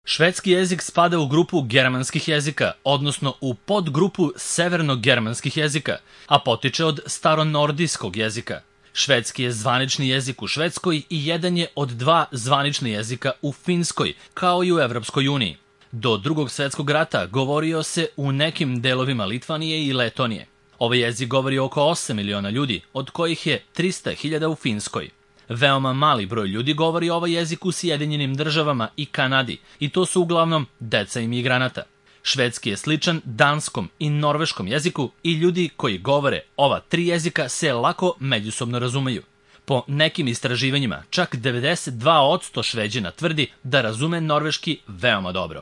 Švedski jezik spada u grupu germanskih jezika, odnosno u podgrupu severno-germanskih jezika, a potiče od staronordijskog jezika. Švedski je zvanični jezik u Švedskoj i jedan je od dva zvanična jezika u Finskoj, kao i u Evropskoj uniji. Do Drugog svetskog rata govorio se u nekim delovima Litvanije i Letonije. Ovaj jezik govori oko 8 miliona ljudi, od kojih je 300.000 u Finskoj. Veoma mali broj ljudi govori ovaj jezik u Sjedinjenim državama i Kanadi, i to su uglavnom deca imigranata. Švedski je sličan danskom i norveškom jeziku i ljudi koji govore ova tri jezika se lako međusobno razumeju. Po nekim istraživanjima, čak 92% Šveđana tvrdi da razume norveški veoma dobro.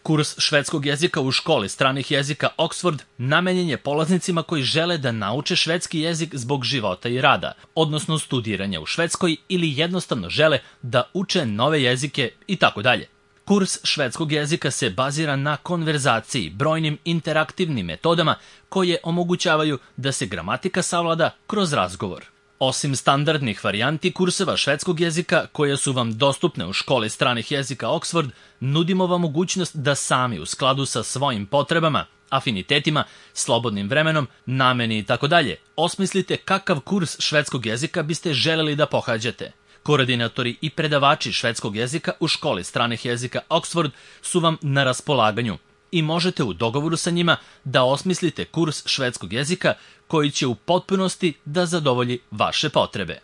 Kurs švedskog jezika u školi stranih jezika Oxford namenjen je polaznicima koji žele da nauče švedski jezik zbog života i rada, odnosno studiranja u Švedskoj ili jednostavno žele da uče nove jezike itd. Kurs švedskog jezika se bazira na konverzaciji, brojnim interaktivnim metodama koje omogućavaju da se gramatika savlada kroz razgovor. Osim standardnih varijanti kurseva švedskog jezika koje su vam dostupne u školi stranih jezika Oxford, nudimo vam mogućnost da sami u skladu sa svojim potrebama, afinitetima, slobodnim vremenom, nameni itd. osmislite kakav kurs švedskog jezika biste želeli da pohađate. Koordinatori i predavači švedskog jezika u školi stranih jezika Oxford su vam na raspolaganju i možete u dogovoru sa njima da osmislite kurs švedskog jezika koji će u potpunosti da zadovolji vaše potrebe.